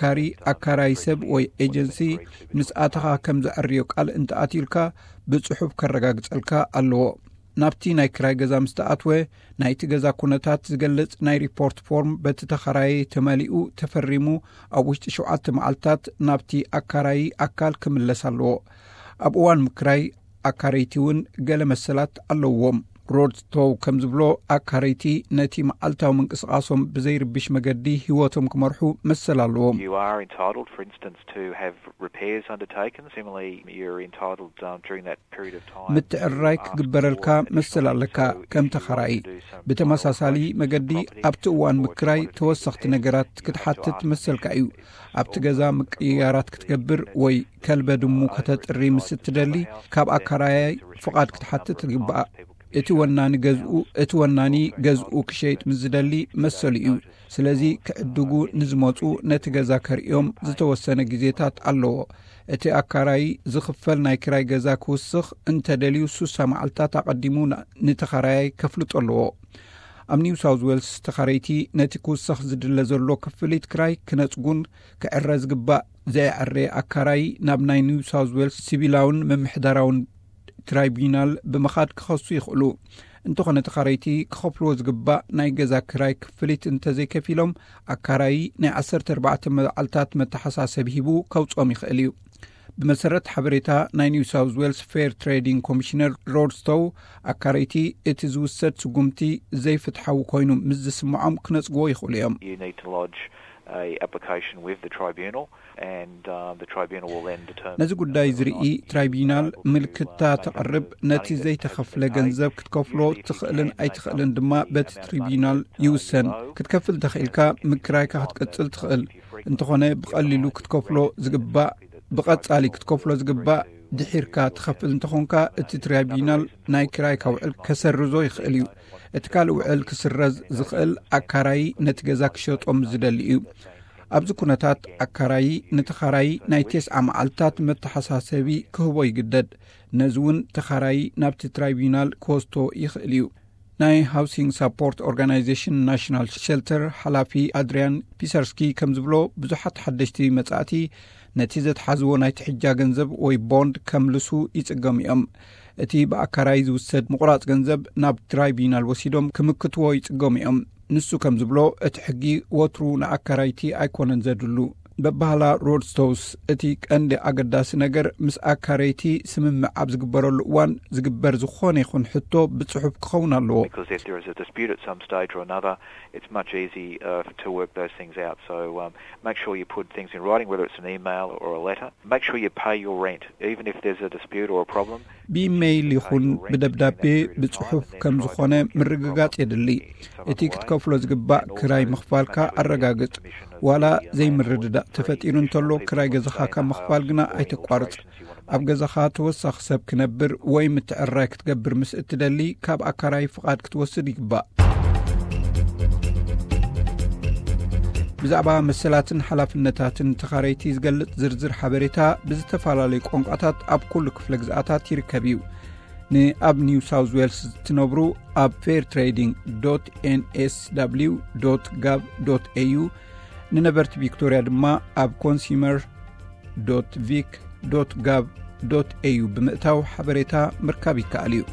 ኣማካሪ ኣካራይ ሰብ ወይ ኤጀንሲ ምስ ኣተኻ ከም ዘዕርዮ ቃል እንተኣትዩልካ ብጽሑፍ ከረጋግጸልካ ኣለዎ። ናብቲ ናይ ክራይ ገዛ ምስ ተኣትወ ናይቲ ገዛ ኩነታት ዝገልጽ ናይ ሪፖርት ፎርም በቲ ተኸራየ ተመሊኡ ተፈሪሙ ኣብ ውሽጢ ሸውዓተ መዓልታት ናብቲ ኣካራይ ኣካል ክምለስ ኣለዎ። ኣብ እዋን ምክራይ ኣካረይቲ እውን ገለ መሰላት ኣለዎም። ሮድ ስቶው ከም ዝብሎ ኣካረይቲ ነቲ መዓልታዊ ምንቅስቓሶም ብዘይርብሽ መገዲ ህይወቶም ክመርሑ መሰል ኣለዎም። You are entitled, for instance, to have repairs undertaken. Similarly, you're entitled um, during that period of time. ምትዕርራይ ክግበረልካ መሰል ኣለካ። ከም ተኸራይ ብተመሳሳሊ መገዲ ኣብቲ እዋን ምክራይ ተወሰኽቲ ነገራት ክትሓትት መሰልካ እዩ። ኣብቲ ገዛ ምቅይያራት ክትገብር ወይ ከልበ ድሙ ከተጥሪ ምስ እትደሊ ካብ ኣካራያይ ፍቓድ ክትሓትት ትግባእ። እቲ ወናኒ ገዝኡ እቲ ወናኒ ገዝኡ ክሸይጥ ምስ ዝደሊ መሰሉ እዩ። ስለዚ ክዕድጉ ንዝመፁ ነቲ ገዛ ከርእዮም ዝተወሰነ ግዜታት ኣለዎ። እቲ ኣካራይ ዝኽፈል ናይ ክራይ ገዛ ክውስኽ እንተደልዩ ሱሳ መዓልታት ኣቐዲሙ ንተኸራያይ ከፍልጦ ኣለዎ። ኣብ ኒው ሳውዝ ዌልስ ተኻረይቲ ነቲ ክውሰኽ ዝድለ ዘሎ ክፍሊት ክራይ ክነጽጉን ክዕረ ዝግባእ ዘየዕረ ኣካራይ ናብ ናይ ኒው ሳውዝ ዌልስ ሲቪላውን ምምሕዳራውን ትራይቡናል ብምኻድ ክኸሱ ይኽእሉ። እንተኾነ ተኻረይቲ ክኸፍልዎ ዝግባእ ናይ ገዛ ክራይ ክፍሊት እንተዘይከፊሎም ኣካራይ ናይ ዓሰርተ ኣርባዕተ መዓልታት መተሓሳሰብ ሂቡ ከውጾም ይኽእል እዩ። ብመሰረት ሓበሬታ ናይ ኒው ሳውዝ ዌልስ ፌር ትሬዲንግ ኮሚሽነር ሮድ ስቶው ኣካረይቲ እቲ ዝውሰድ ስጉምቲ ዘይፍትሓዊ ኮይኑ ምስ ዝስምዖም ክነጽግዎ ይኽእሉ እዮም። You need to lodge a application with the tribunal, and um, the tribunal will then determine. ነዚ ጉዳይ ዝርኢ ትራይቡናል ምልክታ ተቕርብ። ነቲ ዘይተኸፍለ ገንዘብ ክትከፍሎ ትኽእልን ኣይትኽእልን ድማ በቲ ትሪቡናል ይውሰን። ክትከፍል ተኽኢልካ ምክራይካ ክትቀጽል ትኽእል። እንተኾነ ብቐሊሉ ክትከፍሎ ዝግባእ ብቐጻሊ ክትከፍሎ ዝግባእ ድሒርካ ትኸፍል እንተኾንካ እቲ ትራይቡናል ናይ ክራይካ ውዕል ከሰርዞ ይኽእል እዩ። እቲ ካልእ ውዕል ክስረዝ ዝኽእል ኣካራይ ነቲ ገዛ ክሸጦ ምስ ዝደሊ እዩ። ኣብዚ ኩነታት ኣካራይ ንተኻራይ ናይ ተስዓ መዓልታት መተሓሳሰቢ ክህቦ ይግደድ። ነዚ እውን ተኻራይ ናብቲ ትራይቡናል ክወስቶ ይኽእል እዩ። ናይ ሃውሲንግ ሳፖርት ኦርጋናይዜሽን ናሽናል ሸልተር ሓላፊ ኣድሪያን ፒሰርስኪ ከም ዝብሎ ብዙሓት ሓደሽቲ መጻእቲ ነቲ ዘትሓዝዎ ናይ ትሕጃ ገንዘብ ወይ ቦንድ ከምልሱ ይጽገሙ እዮም። እቲ ብኣካራይ ዝውሰድ ምቑራጽ ገንዘብ ናብ ትራይቡናል ወሲዶም ክምክትዎ ይጽገሙ እዮም። ንሱ ከም ዝብሎ እቲ ሕጊ ወትሩ ንኣካራይቲ ኣይኮነን ዘድሉ። በባህላ ሮድስቶውስ እቲ ቀንዲ ኣገዳሲ ነገር ምስ ኣካረይቲ ስምምዕ ኣብ ዝግበረሉ እዋን ዝግበር ዝኾነ ይኹን ሕቶ ብጽሑፍ ክኸውን ኣለዎ። Because if there is a dispute at some stage or another, it's much easy uh, to work those things out. So um, make sure you put things in writing, whether it's an email or a letter. Make sure you pay your rent, even if there's a dispute or a problem. ብኢሜይል ይኹን ብደብዳቤ ብጽሑፍ ከም ዝኾነ ምርግጋጽ የድሊ። እቲ ክትከፍሎ ዝግባእ ክራይ ምኽፋልካ ኣረጋግጽ። ዋላ ዘይምርድዳእ ተፈጢሩ እንተሎ ክራይ ገዛኻ ካብ ምኽፋል ግና ኣይተቋርጽ። ኣብ ገዛኻ ተወሳኺ ሰብ ክነብር ወይ ምትዕርራይ ክትገብር ምስ እትደሊ ካብ ኣካራይ ፍቓድ ክትወስድ ይግባእ። ብዛዕባ መሰላትን ሓላፍነታትን ተኻረይቲ ዝገልጽ ዝርዝር ሓበሬታ ብዝተፈላለዩ ቋንቋታት ኣብ ኩሉ ክፍለ ግዝኣታት ይርከብ እዩ። ንኣብ ኒው ሳውዝ ዌልስ እትነብሩ ኣብ ፌር ትሬዲንግ ዶት ኤንኤስዳብሊው ዶት ጋቭ ዶት ኤዩ፣ ንነበርቲ ቪክቶርያ ድማ ኣብ ኮንሱመር ዶት ቪክ ዶት ጋቭ ዶት ኤዩ ብምእታው ሓበሬታ ምርካብ ይከኣል እዩ።